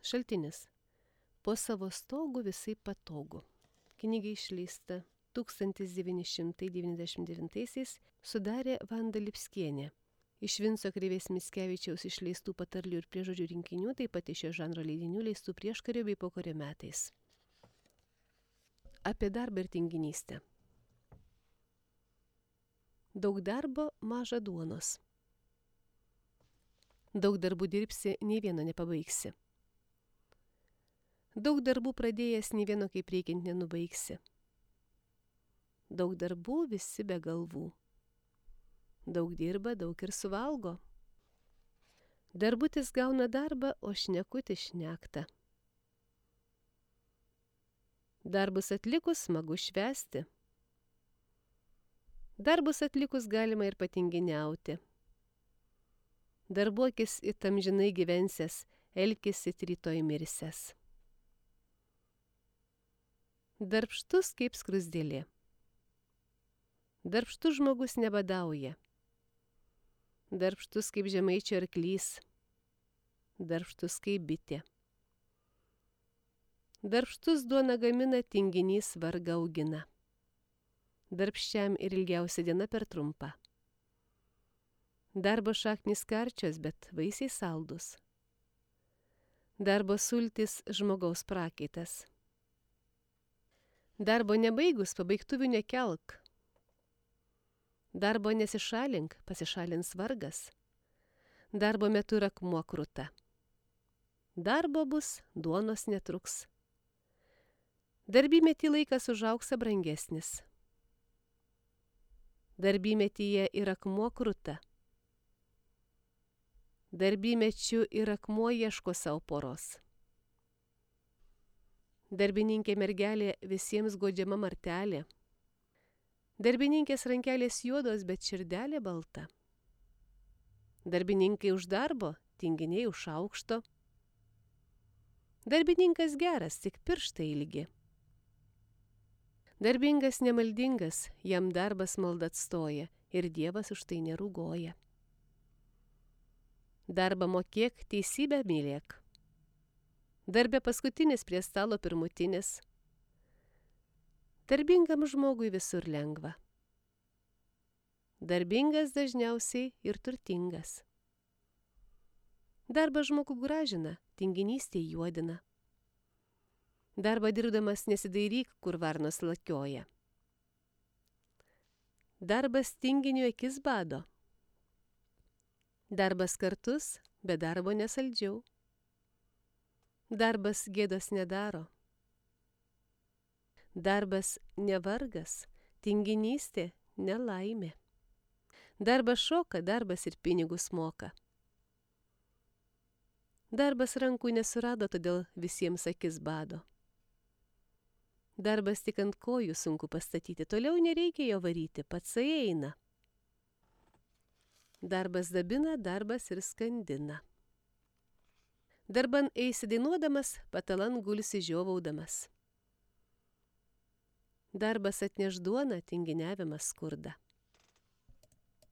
Šaltinis. Po savo stogu visai patogu. Knyga išleista 1999 sudarė Vanda Lipskienė. Iš Vinco Krėvės Mickevičiaus išleistų patarlių ir priežodžių rinkinių, taip pat iš šio žanro leidinių leistų prieškario bei pokario metais. Apie darbą ir tinginystę. Daug darbo, maža duonos. Daug darbų dirbsi, nei vieno nepabaigsi. Daug darbų pradėjęs, nei vieno kaip reikiant nenubaigsi. Daug darbų, visi be galvų. Daug dirba, daug ir suvalgo. Darbutis gauna darbą, o šnekutis šnekta. Darbus atlikus smagu švęsti. Darbus atlikus galima ir patinginiauti. Darbuokis it amžinai gyvensias, elkis it rytoj mirsias. Darbštus kaip skruzdėlė. Darbštus žmogus nebadauja. Darbštus kaip žemaičio arklys. Darbštus kaip bitė. Darbštus duona gamina, tinginys vargą augina. Darbščiam ir ilgiausia diena per trumpa. Darbo šaknys karčios, bet vaisiai saldus. Darbo sultis žmogaus prakaitas. Darbo nebaigus, pabaigtuvių nekelk. Darbo nesišalink, pasišalins vargas. Darbo metu yra akmuo kruta. Darbo bus, duonos netruks. Darbymetį laikas už auksą brangesnis. Darbymetyje ir akmuo kruta. Darbymečiu ir akmuo ieško savo poros. Darbininkė mergelė visiems godžiama martelė. Darbininkės rankelės juodos, bet širdelė balta. Darbininkai už darbo, tinginiai už aukšto. Darbininkas geras, tik pirštai ilgi. Darbingas nemaldingas, jam darbas malda atstoja ir Dievas už tai nerūgoja. Darbą mokėk, teisybę mylėk. Darbė paskutinis prie stalo pirmutinis. Darbingam žmogui visur lengva. Darbingas dažniausiai ir turtingas. Darbą žmogų gražina, tinginystė juodina. Darbą dirbdamas nesidairyk, kur varnos lakioja. Darbas tinginiui akis bado. Darbas kartus, be darbo nesaldžiau. Darbas gėdos nedaro. Darbas nevargas, tinginystė nelaimė. Darbas šoka, darbas ir pinigus moka. Darbas rankų nesurado, todėl visiems akis bado. Darbas tik ant kojų sunku pastatyti, toliau nereikia jo varyti, patsai eina. Darbas dabina, darbas ir skandina. Darban eisi dainuodamas, patalan gulsi žiovaudamas. Darbas atneš duoną, tinginiavimas skurdą.